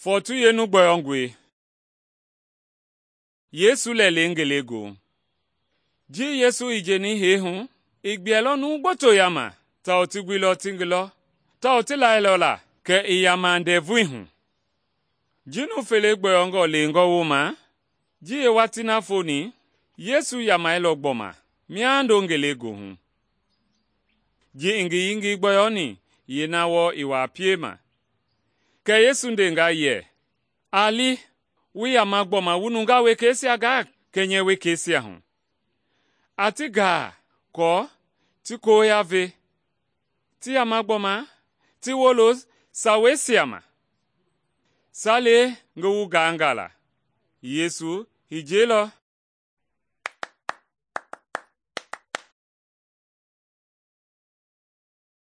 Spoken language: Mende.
Fɔɔtui yeenu gbɔyɔngɔi. Yesu lɛlɛi ngelegoohu. Ji Yesu i jeni hee hu, i gbuɛilɔ numu gboto yaama tawao ti guilɔ ti ngi lɔ, tawao ti lailɔ la kɛ i yama ndɛvui hu. Ji numu fele gbɔyɔngɔ lewengɔ wooma, ji yeewatii na foni, Yesu yamailɔ gbɔma miando ngelegoohu. Ji i ngi yengei gbɔyɔni, yeena wɔɔ i wuaa piema. Kɛ Yesu ndenga yɛ, “A li, wu yama gbɔma wu nungaa wekeisia gaa kɛnyɛ wekeisia hu. A ti gaa aako ti koya ve, ti yama gbɔma ti wolo saweisia ma. Sa le ngi wu gaanga la.” Yesu i jiɛilɔ